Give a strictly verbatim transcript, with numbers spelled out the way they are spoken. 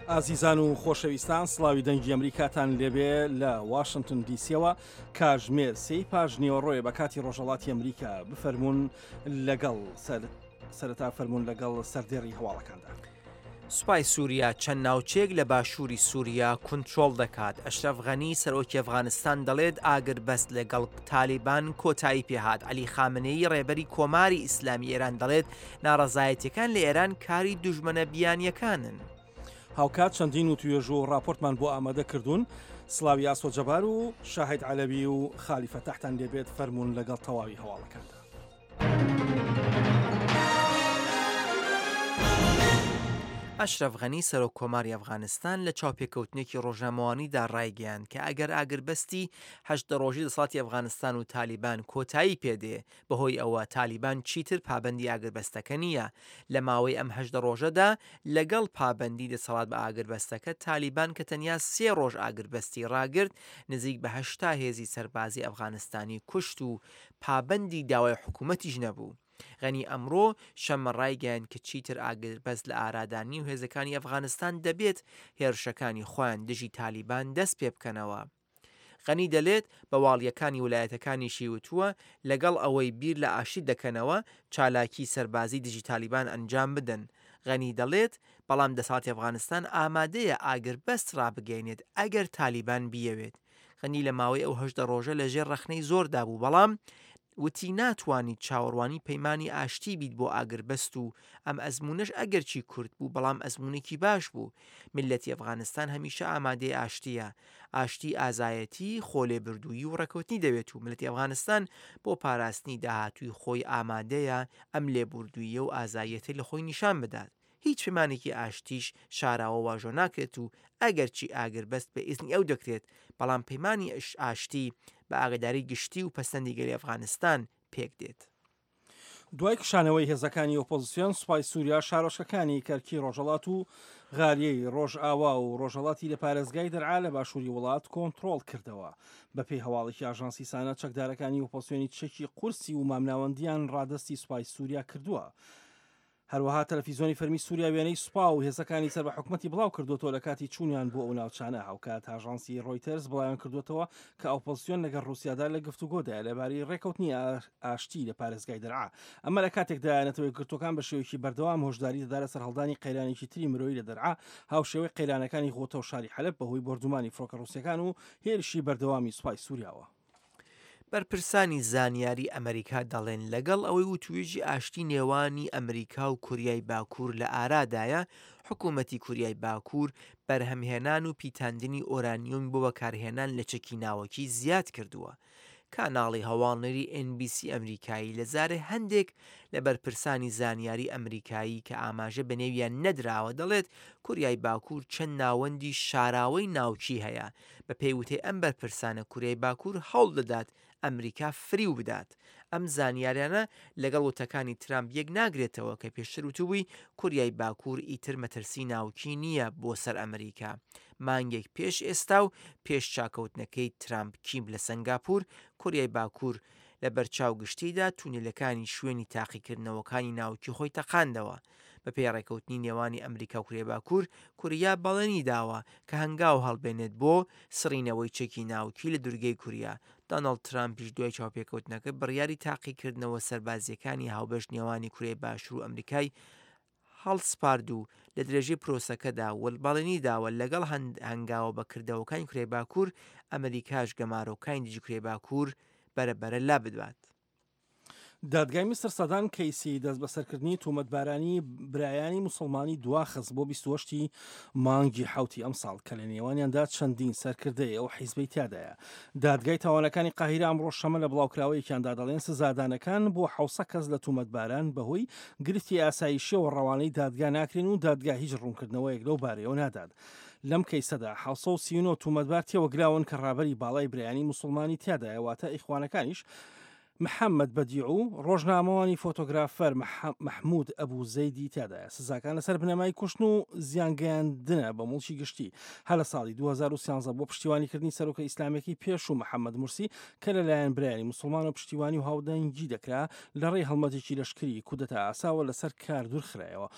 ئازیزان و خۆشەویستان، سڵاوی دەنگی ئەمریکاتان لێبێ لە واشنتن دیسیەوە. کاژمێر سێی پاش نیوەڕۆیە بە کاتی ڕۆژهەڵاتی ئەمریکا. بفەرمونون لەگەڵ سەر سەرەتا فەرمونون لەگەڵ سەردێڕی هەواڵەکاندا. سوپای سووریا چەند ناوچەیەک لە باشووری سووریا کونترۆڵ دەکات. ئەشرەف غەنی سەرۆکی ئەفغانستان دەڵێت ئاگربەست لەگەڵ تالیبان کۆتایی پێهات. عەلی خامنەیی ڕێبەری کۆماری ئیسلامی ئێران دەڵێت ناڕەزایەتیەکان لە ئێران کاری دوژمنە بیانیەکانن. هاوکات چەندین و توێژ و راپۆرتمان بۆ ئامادە کردوون. سڵاوی ئاسۆ جەبار و شاهید عەلەوی و خالی فەتاحتان لێبێت. فەرمونون لەگەڵ تەواوی هەواڵەکاندا. ئەشرەف غەنی سەرۆک کۆماری ئەفغانستان لە چاوپێکەوتنێکی ڕۆژنامەوانیدا ڕایگەیاند کە ئەگەر ئاگربەستی هەژدە ڕۆژی دەسەڵاتی ئەفغانستان و تالیبان کۆتایی پێدێ، بەهۆی ئەوە تالیبان چیتر پابەندی ئاگربەستەکە نییە. لە ماوەی ئەم هەژدە ڕۆژەدا لەگەڵ پابەندی دەسەڵات بە ئاگربەستەکە، تالیبان کە تەنیا سێ ڕۆژ ئاگربەستی ڕاگرت، نزیک بە هەشتا هێزی سەربازی ئەفغانستانی کوشت و پابەندی داوای حکوومەتیش نەبوو. غەنی ئەمڕۆ شەممە ڕایگەیاند کە چیتر ئاگربەست لە ئارادا نییە و هێزەکانی ئەفغانستان دەبێت هێرشەکانی خۆیان دژی تالیبان دەست پێ بکەنەوە. غەنی دەلێت بە واڵیەکانی ولایەتەکانیشی وتووە لەگەڵ ئەوەی بیر لە ئاشتی دەکەنەوە، چالاکی سەربازی دژی تالیبان ئەنجام بدەن. غەنی دەڵێت بەڵام دەسەڵاتی ئەفغانستان ئامادەیە ئاگربەست ڕابگەیەنێت ئەگەر تالیبان بیەوێت. غەنی لە ماوەی ئەو هەژدە ڕۆژە لەژێر ڕەخنەی زۆردا بوو، بەڵام وتی ناتوانیت چاوەڕوانی پەیمانی ئاشتی بیت بۆ ئاگربەست و ئەم ئەزمونەش ئەگەرچی کورت بوو بەڵام ئەزمونێکی باش بوو. میللەتی ئەفغانستان هەمیشە ئامادەی ئاشتیە. ئاشتی ئازایەتی، خۆلێبردوویی و ڕێکەوتنی دەوێت و میللەتی ئەفغانستان بۆ پاراستنی داهاتووی خۆی ئامادەیە ئەم لێبوردوویی و ئازایەتیە لە خۆی نیشان بدات. هیچ پەیمانێکی ئاشتیش شاراوە واژۆ ناکرێت و ئەگەرچی ئاگربەست بە ئیزنی ئەو دەکرێت، بەڵام پەیمانی ئاشتی بە ئاگاداری گشتی و پەسەندی گەلی ئەفغانستان پێک دێت. دوای کشانەوەی هێزەکانی ئۆپۆزیسیۆن، سوپای سووریا شارۆچکەکانی کەرکی ڕۆژهەڵات و غاریەی ڕۆژئاوا و ڕۆژهەڵاتی لە پارێزگای دەرعا لە باشووری وڵات کۆنترۆڵ کردەوە. بەپێی هەواڵێکی ئاژانسی سانا، چەکدارەکانی ئۆپۆزیسیۆنی چەکی قورسی و مامناوەندیان ڕادەستی سوپای سووریا کردووە. هەروەها تەلەفیزیۆنی فەرمی سووریا وێنەی سوپا و هێزەکانی سەر بە حکومەتی بڵاو کردوێتەوە لە کاتی چوونیان بۆ ئەو ناوچانە. هاوکات ئاژانسی ڕۆیتەرز بڵاویان کردوێتەوە کە ئۆپۆزیسیۆن لەگەڵ ڕووسیادا لە گفتوگۆدایە لەبارەی ڕێکەوتنی ئاشتی لە پارێزگای دەرعا. ئەمە لە کاتێکدا نەتەوە یەکگرتووەکان بە شێوەیەکی بەردەوام هۆشداری دەدا لە سەرهەڵدانی قەیرانێکی تری مرۆیی لە دەرعا، هاوشێوەی قەیرانەکانی غوتە و شاری حەلەب بەهۆی بۆردومانی فڕۆکە ڕووسیەکان و هێرشی بەردەوامی سوپای سووریاوە. بەرپرسانی زانیاری ئەمریکا دەڵێن لەگەڵ ئەوەی وتوێژی ئاشتی نێوانی ئەمریکا و کوریای باکوور لە ئارادایە، حکوومەتی کوریای باکوور بەرهەمهێنان و پیتاندنی ئۆرانیۆمی بۆ بەکارهێنان لە چەکی ناوەکی زیاد کردووە. کاناڵی هەواڵنێری ئێن بی سی ئەمریکایی لە زارێ هەندێک لە بەرپرسانی زانیاری ئەمریکایی کە ئاماژە بە نێویان نەدراوە دەڵێت کوریای باکوور چەند ناوەندی شاراوەی ناوکی هەیە. بە پێی وتەی ئەم بەرپرسانە کوریای باکوور هەوڵ دەدات ئەمریکا فریو بدات. ئەم زانیاریانە لەگەڵ وتەکانی ترامپ یەک ناگرێتەوە کە پێشتر وتبووی کوریای باکوور ئیتر مەترسی ناوکی نییە بۆ سەر ئەمریکا. مانگێک پێش ئێستا و پێش چاکەوتنەکەی ترامپ کیم لە سەنگاپور، کوریای باکوور لە بەرچاو گشتیدا تونێلەکانی شوێنی تاقیکردنەوەکانی ناوکی خۆی تەقاندەوە. بەپێی ڕێکەوتنی نێوانی ئەمریکا و کوریای باکوور، کوریا بەڵێنی داوە کە هەنگاو هەڵبێنێت بۆ سڕینەوەی چەکی ناوکی لە دورگەی کوریا. دۆناڵد ترامپیش دوای چاوپێکەوتنەکە بڕیاری تاقیکردنەوە سەربازییەکانی هاوبەش نێوانی کوریای باشوور و ئەمریکای هەڵسپارد و لە درێژەی پرۆسەکەدا بەڵێنی داوە لەگەڵ هەنگاوە بەکردەوەکانی کوریای باکوور، ئەمریکاش گەمارۆکانی دژی کوریای باکوور بەرەبەرە لابدات. دادگای میسر سەدان کەیسی دەستبەسەرکردنی تۆمەتبارانی برایانی موسڵمانی دواخست بۆ بیست و هەشت ی مانگی حەوتی ئەمساڵ کە لە نێوانیاندا چەندین سەرکردەی ئەو حیزبەی تیادایە. دادگای تاوانەکانی قاهیرە ئەمڕۆ شەمە لە بڵاوکراوەیەکیاندا دەڵێن سزادانەکان بۆ حەوت سەد کەس لە تۆمەتباران بەهۆی گرفتی ئاسایشیەوە ڕەوانەی دادگا ناکرێن و دادگا هیچ ڕوونکردنەوەیەک لەو بارەیەوە نادات. لەم کەیسەدا حەوت سەد و سی و نۆ تۆمەتبار تێوەگلاون کە ڕابەری باڵای برایانی موسڵمانی تیادایە، واتە ئیخوانەکانیش محەممەد بەدیع و ڕۆژنامەوانی فۆتۆگرافەر مەحمود ئەبوو زەیدی تیادایە. سزاکان لەسەر بنەمای کوشتن و زیانگەیاندنە بە موڵکی گشتی. هەر لە ساڵی دوو هەزار و سیانزە بۆ پشتیوانیکردنی سەرۆکە ئیسلامیەکەی پێشوو محەممەد مورسی کە لەلایەن برایانی موسڵمان و پشتیوانی و هاودەنگی دەکرا، لە ڕێی هەڵمەتێکی لەشکری کودەتا ئاساوە لەسەر کار دوورخرایەوە.